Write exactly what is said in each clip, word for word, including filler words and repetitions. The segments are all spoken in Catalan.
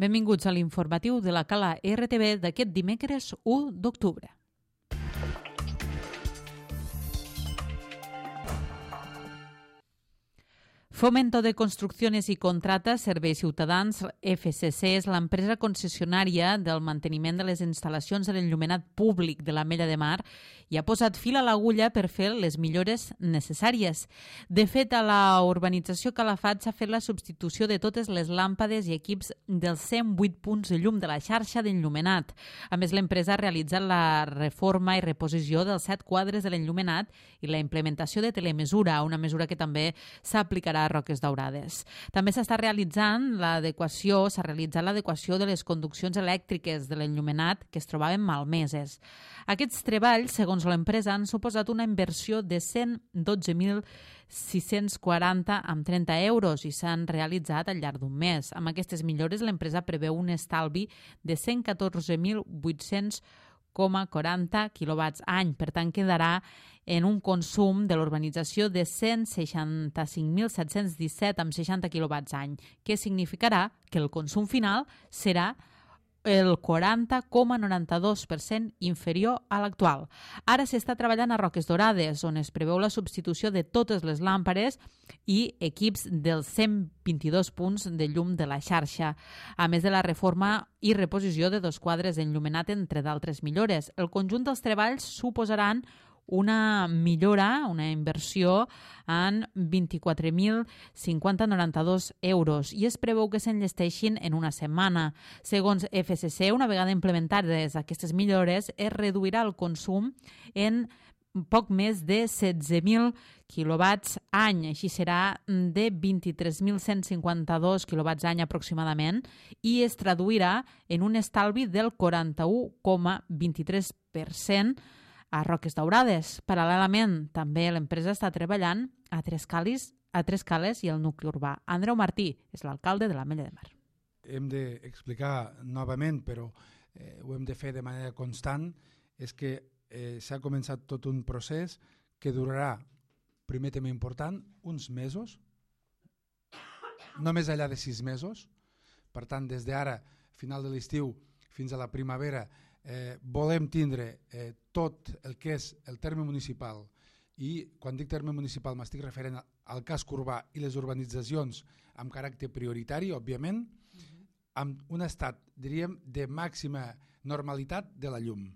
Benvinguts a l'informatiu de la Cala R T V d'aquest dimecres u d'octubre. Fomento de Construcciones y Contratas Serveis Ciutadans, F C C, és l'empresa concessionària del manteniment de les instal·lacions de l'enllumenat públic de l'Ametlla de Mar i ha posat fil a l'agulla per fer les millores necessàries. De fet, a la urbanització Calafat s'ha fet la substitució de totes les làmpades i equips dels cent vuit punts de llum de la xarxa d'enllumenat. A més, l'empresa ha realitzat la reforma i reposició dels set quadres de l'enllumenat i la implementació de telemesura, una mesura que també s'aplicarà a Roques Daurades. També s'està realitzant l'adequació, s'ha realitzat l'adequació de les conduccions elèctriques de l'enllumenat que es trobaven malmeses. Aquests treballs, segons l'empresa, han suposat una inversió de cent dotze mil sis-cents quaranta amb trenta euros i s'han realitzat al llarg d'un mes. Amb aquestes millores, l'empresa preveu un estalvi de cent catorze mil vuit-cents coma quaranta quilowatts any. Per tant, quedarà en un consum de l'urbanització de cent seixanta-cinc mil set-cents disset amb seixanta quilowatts any, que significarà que el consum final serà el quaranta coma noranta-dos per cent inferior a l'actual. Ara s'està treballant a Roques Daurades, on es preveu la substitució de totes les làmpades i equips dels cent vint-i-dos punts de llum de la xarxa, a més de la reforma i reposició de dos quadres d'enllumenat, entre d'altres millores. El conjunt dels treballs suposaran una millora, una inversió en vint-i-quatre mil cinquanta coma noranta-dos euros i es preveu que s'enllesteixin en una setmana. Segons F C C, una vegada implementades aquestes millores, es reduirà el consum en poc més de setze mil quilowatts any. Així serà de vint-i-tres mil cent cinquanta-dos quilowatts any aproximadament i es traduirà en un estalvi del quaranta-u coma vint-i-tres per cent a Roques Daurades. Paral·lelament, també l'empresa està treballant a Tres Cales, a Tres Cales i el nucli urbà. Andreu Martí és l'alcalde de l'Ametlla de Mar. Hem d'explicar novament, però eh, ho hem de fer de manera constant, és que eh, s'ha començat tot un procés que durarà, primer tema important, uns mesos, no més enllà de sis mesos. Per tant, des d'ara, final de l'estiu, fins a la primavera, Eh, volem tindre eh, tot el que és el terme municipal, i quan dic terme municipal m'estic referent al casc urbà i les urbanitzacions amb caràcter prioritari, òbviament, uh-huh. amb un estat, diríem, de màxima normalitat de la llum.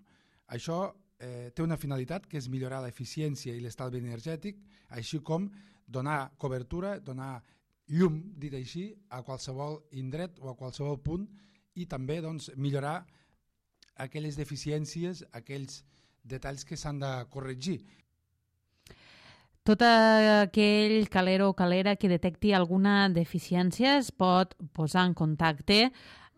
Això eh, té una finalitat que és millorar l'eficiència i l'estalvi energètic, així com donar cobertura, donar llum, dit així, a qualsevol indret o a qualsevol punt, i també doncs, millorar aquelles deficiències, aquells detalls que s'han de corregir. Tot aquell caler o calera que detecti alguna deficiència es pot posar en contacte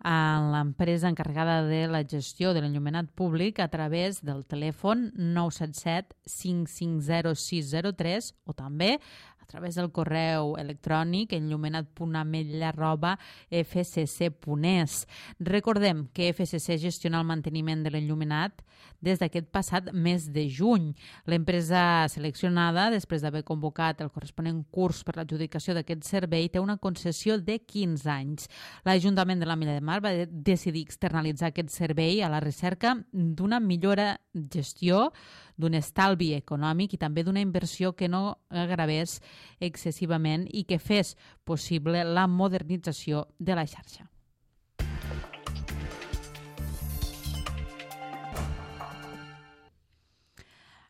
amb l'empresa encarregada de la gestió de l'enllumenat públic a través del telèfon nou set set cinc cinc zero sis zero tres o també a través del correu electrònic enllumenat punt ametlla arroba f c c punt e s. Recordem que F C C gestiona el manteniment de l'enllumenat des d'aquest passat mes de juny. L'empresa seleccionada, després d'haver convocat el corresponent curs per l'adjudicació d'aquest servei, té una concessió de quinze anys. L'Ajuntament de l'Ametlla de Mar va decidir externalitzar aquest servei a la recerca d'una millora gestió, d'un estalvi econòmic i també d'una inversió que no agravés excessivament i que fes possible la modernització de la xarxa.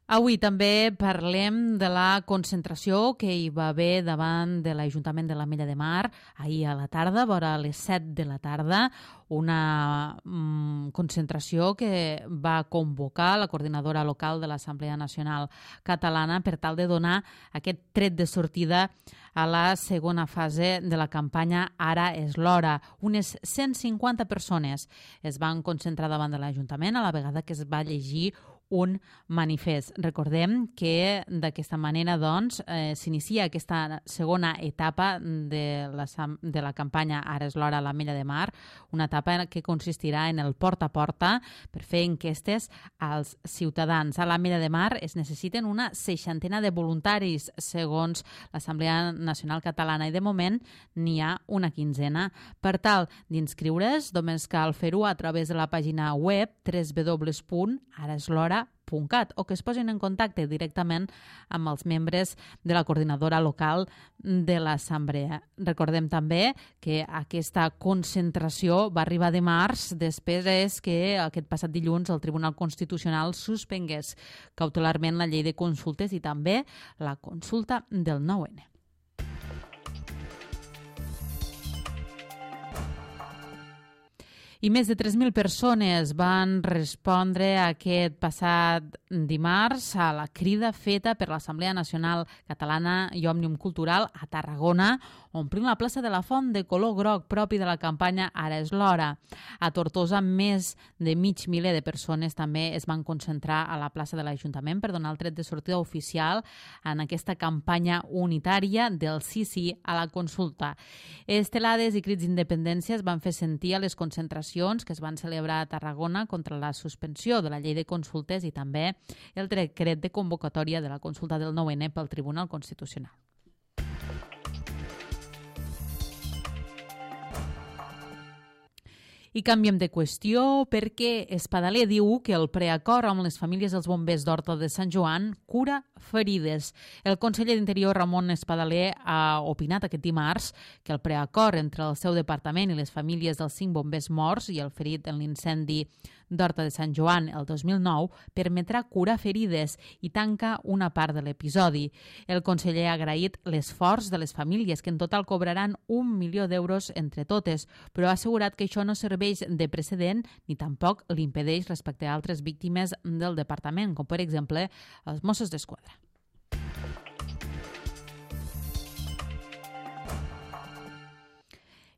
Avui també parlem de la concentració que hi va haver davant de l'Ajuntament de l'Ametlla de Mar ahir a la tarda, vora les set de la tarda, una mm, concentració que va convocar la coordinadora local de l'Assemblea Nacional Catalana per tal de donar aquest tret de sortida a la segona fase de la campanya Ara és l'hora. Unes cent cinquanta persones es van concentrar davant de l'Ajuntament a la vegada que es va llegir un manifest. Recordem que d'aquesta manera doncs, eh, s'inicia aquesta segona etapa de la, de la campanya Ara és l'hora a l'Ametlla de Mar, una etapa que consistirà en el porta a porta per fer enquestes als ciutadans. A l'Ametlla de Mar es necessiten una seixantena de voluntaris, segons l'Assemblea Nacional Catalana, i de moment n'hi ha una quinzena. Per tal d'inscriure's, només cal fer-ho a través de la pàgina web w w w punt ara és l'hora punt cat o que es posin en contacte directament amb els membres de la coordinadora local de l'Assemblea. Recordem també que aquesta concentració va arribar dimarts després que aquest passat dilluns el Tribunal Constitucional suspengués cautelarment la llei de consultes i també la consulta del nou ene. I més de tres mil persones van respondre aquest passat dimarts a la crida feta per l'Assemblea Nacional Catalana i Òmnium Cultural a Tarragona, omplint la plaça de la Font de color groc propi de la campanya Ara és l'hora. A Tortosa, més de mig miler de persones també es van concentrar a la plaça de l'Ajuntament per donar el tret de sortida oficial en aquesta campanya unitària del sí sí a la consulta. Estelades i crits d'independència es van fer sentir a les concentracions que es van celebrar a Tarragona contra la suspensió de la llei de consultes i també el decret de convocatòria de la consulta del nou ene pel Tribunal Constitucional. I canviem de qüestió perquè Espadaler diu que el preacord amb les famílies dels bombers d'Horta de Sant Joan cura ferides. El conseller d'Interior, Ramon Espadaler, ha opinat aquest dimarts que el preacord entre el seu departament i les famílies dels cinc bombers morts i el ferit en l'incendi d'Horta de Sant Joan el dos mil nou permetrà curar ferides i tanca una part de l'episodi. El conseller ha agraït l'esforç de les famílies, que en total cobraran un milió d'euros entre totes, però ha assegurat que això no serveix de precedent ni tampoc l'impedeix respecte a altres víctimes del departament, com per exemple els Mossos d'Esquadra.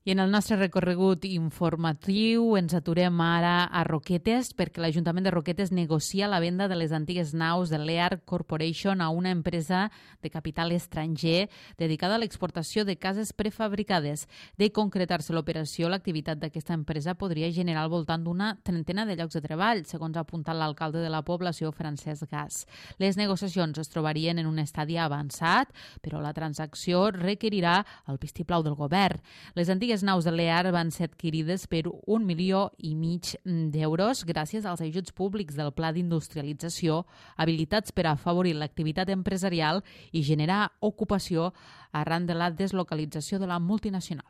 I en el nostre recorregut informatiu ens aturem ara a Roquetes perquè l'Ajuntament de Roquetes negocia la venda de les antigues naus de l'E A R Corporation a una empresa de capital estranger dedicada a l'exportació de cases prefabricades. De concretar-se l'operació, l'activitat d'aquesta empresa podria generar al voltant d'una trentena de llocs de treball, segons ha apuntat l'alcalde de la població, Francesc Gas. Les negociacions es trobarien en un estadi avançat, però la transacció requerirà el vistiplau del govern. Les antigues Les naus de l'E A R van ser adquirides per un milió i mig d'euros gràcies als ajuts públics del Pla d'Industrialització, habilitats per a afavorir l'activitat empresarial i generar ocupació arran de la deslocalització de la multinacional.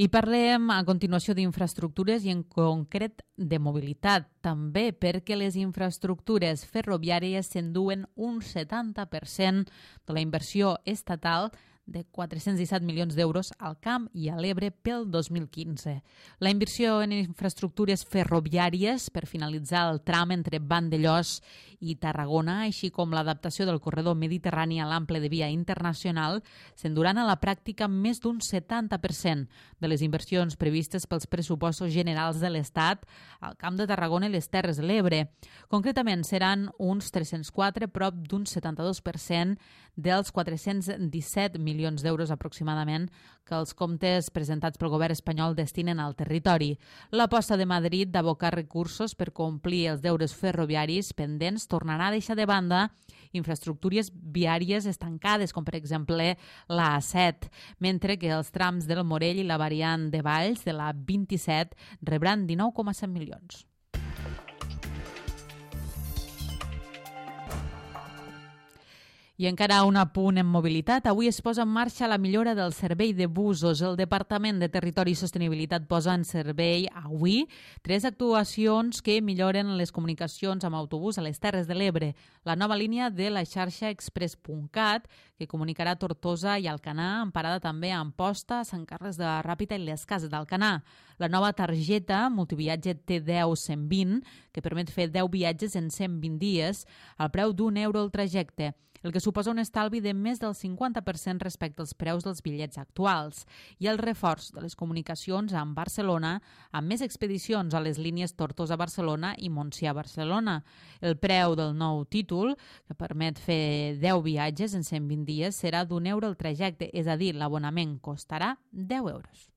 I parlem a continuació d'infraestructures i en concret de mobilitat, també perquè les infraestructures ferroviàries s'enduen un setanta per cent de la inversió estatal de quatre-cents disset milions d'euros al Camp i a l'Ebre pel dos mil quinze. La inversió en infraestructures ferroviàries per finalitzar el tram entre Vandellòs i Tarragona, així com l'adaptació del corredor mediterrani a l'ample de via internacional, s'enduran a la pràctica més d'un setanta per cent de les inversions previstes pels pressupostos generals de l'Estat al Camp de Tarragona i les Terres de l'Ebre. Concretament, seran uns tres-cents quatre, prop d'un setanta-dos per cent dels quatre-cents disset milions d'euros aproximadament que els comptes presentats pel govern espanyol destinen al territori. L'aposta de Madrid d'abocar recursos per complir els deures ferroviaris pendents tornarà a deixar de banda infraestructures viàries estancades, com per exemple la A set, mentre que els trams del Morell i la variant de Valls de la vint-i-set rebran dinou coma set milions. I encara un apunt en mobilitat. Avui es posa en marxa la millora del servei de busos. El Departament de Territori i Sostenibilitat posa en servei avui tres actuacions que milloren les comunicacions amb autobús a les Terres de l'Ebre. La nova línia de la xarxa express punt cat, que comunicarà Tortosa i Alcanar, amb parada també a Amposta, Sant Carles de la Ràpita i les Cases d'Alcanar. La nova targeta multiviatge T deu cent vint, que permet fer deu viatges en cent vint dies, al preu d'un euro el trajecte. el que suposa un estalvi de més del cinquanta per cent respecte als preus dels bitllets actuals, i el reforç de les comunicacions amb Barcelona, amb més expedicions a les línies Tortosa-Barcelona i Montsià-Barcelona. El preu del nou títol, que permet fer deu viatges en cent vint dies, serà d'un euro el trajecte, és a dir, l'abonament costarà deu euros.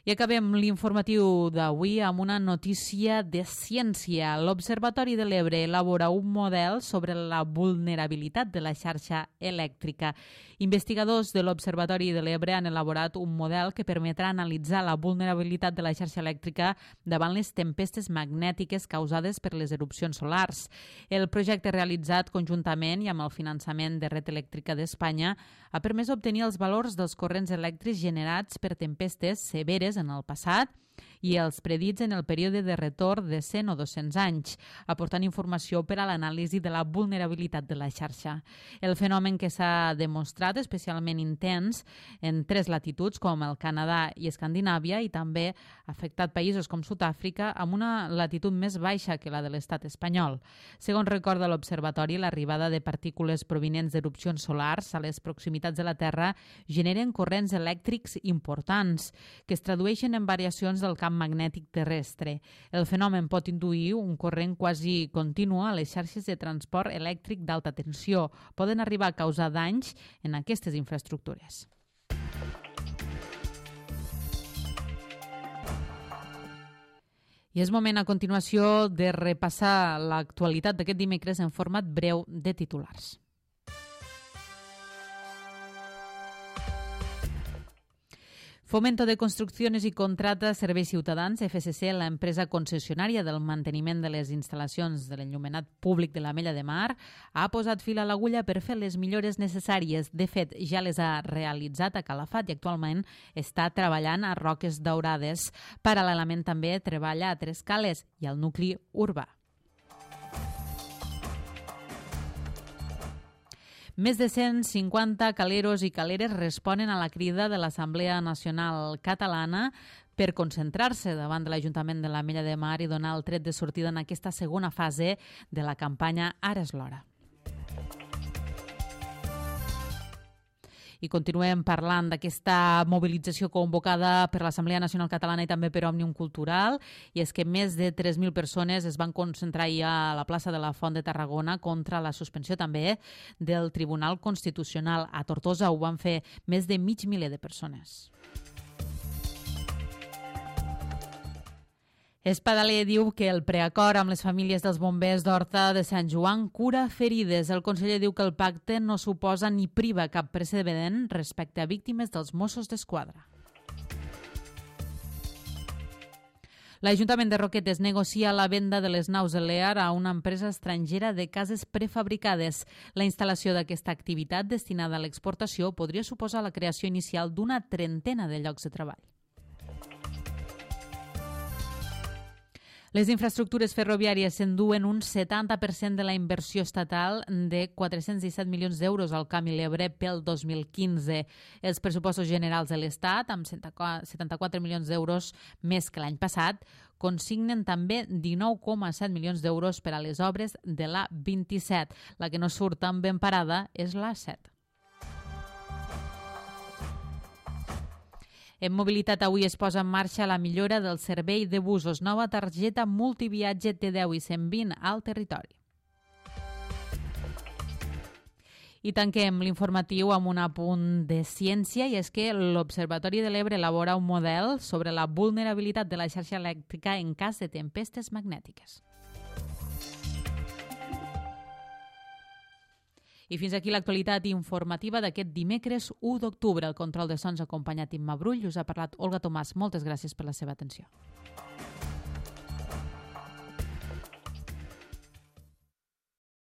I acabem l'informatiu d'avui amb una notícia de ciència. L'Observatori de l'Ebre elabora un model sobre la vulnerabilitat de la xarxa elèctrica. Investigadors de l'Observatori de l'Ebre han elaborat un model que permetrà analitzar la vulnerabilitat de la xarxa elèctrica davant les tempestes magnètiques causades per les erupcions solars. El projecte realitzat conjuntament i amb el finançament de Red Elèctrica d'Espanya ha permès obtenir els valors dels corrents elèctrics generats per tempestes severes en el passat i els predits en el període de retorn de cent o dos-cents anys, aportant informació per a l'anàlisi de la vulnerabilitat de la xarxa. El fenomen que s'ha demostrat especialment intens en tres latituds com el Canadà i Escandinàvia i també ha afectat països com Sud-àfrica amb una latitud més baixa que la de l'estat espanyol. Segons recorda l'Observatori, l'arribada de partícules provinents d'erupcions solars a les proximitats de la Terra generen corrents elèctrics importants que es tradueixen en variacions del camp magnètic terrestre. El fenomen pot induir un corrent quasi continu a les xarxes de transport elèctric d'alta tensió. Poden arribar a causar danys en aquestes infraestructures. I és moment a continuació de repassar l'actualitat d'aquest dimecres en format breu de titulars. Fomento de Construcciones y Contratas Serveis Ciutadans, F C C, la empresa concessionària del manteniment de les instal·lacions de l'enllumenat públic de l'Ametlla de Mar, ha posat fil a l'agulla per fer les millores necessàries. De fet, ja les ha realitzat a Calafat i actualment està treballant a Roques Daurades. Paral·lelament també treballa a Trescales i al nucli urbà. Més de cent cinquanta caleros i caleres responen a la crida de l'Assemblea Nacional Catalana per concentrar-se davant de l'Ajuntament de l'Ametlla de Mar i donar el tret de sortida en aquesta segona fase de la campanya Ara és l'hora. I continuem parlant d'aquesta mobilització convocada per l'Assemblea Nacional Catalana i també per Òmnium Cultural, i és que més de tres mil persones es van concentrar ja a la plaça de la Font de Tarragona contra la suspensió també del Tribunal Constitucional. A Tortosa ho van fer més de mig miler de persones. Espadaler diu que el preacord amb les famílies dels bombers d'Horta de Sant Joan cura ferides. El conseller diu que el pacte no suposa ni priva cap precedent respecte a víctimes dels Mossos d'Esquadra. L'Ajuntament de Roquetes negocia la venda de les naus Elear a una empresa estrangera de cases prefabricades. La instal·lació d'aquesta activitat destinada a l'exportació podria suposar la creació inicial d'una trentena de llocs de treball. Les infraestructures ferroviàries s'enduen un setanta per cent de la inversió estatal de quatre-cents disset milions d'euros al Camp i l'Ebre pel dos mil quinze. Els pressupostos generals de l'Estat, amb setanta-quatre milions d'euros més que l'any passat, consignen també dinou coma set milions d'euros per a les obres de l'A vint-i-set. La que no surt tan ben parada és l'A set. En mobilitat avui es posa en marxa la millora del servei de busos. Nova targeta multiviatge T deu i cent vint al territori. I tanquem l'informatiu amb un apunt de ciència, i és que l'Observatori de l'Ebre elabora un model sobre la vulnerabilitat de la xarxa elèctrica en cas de tempestes magnètiques. I fins aquí l'actualitat informativa d'aquest dimecres u d'octubre. El control de sons ha acompanyat Imma Brull. Us ha parlat Olga Tomàs. Moltes gràcies per la seva atenció.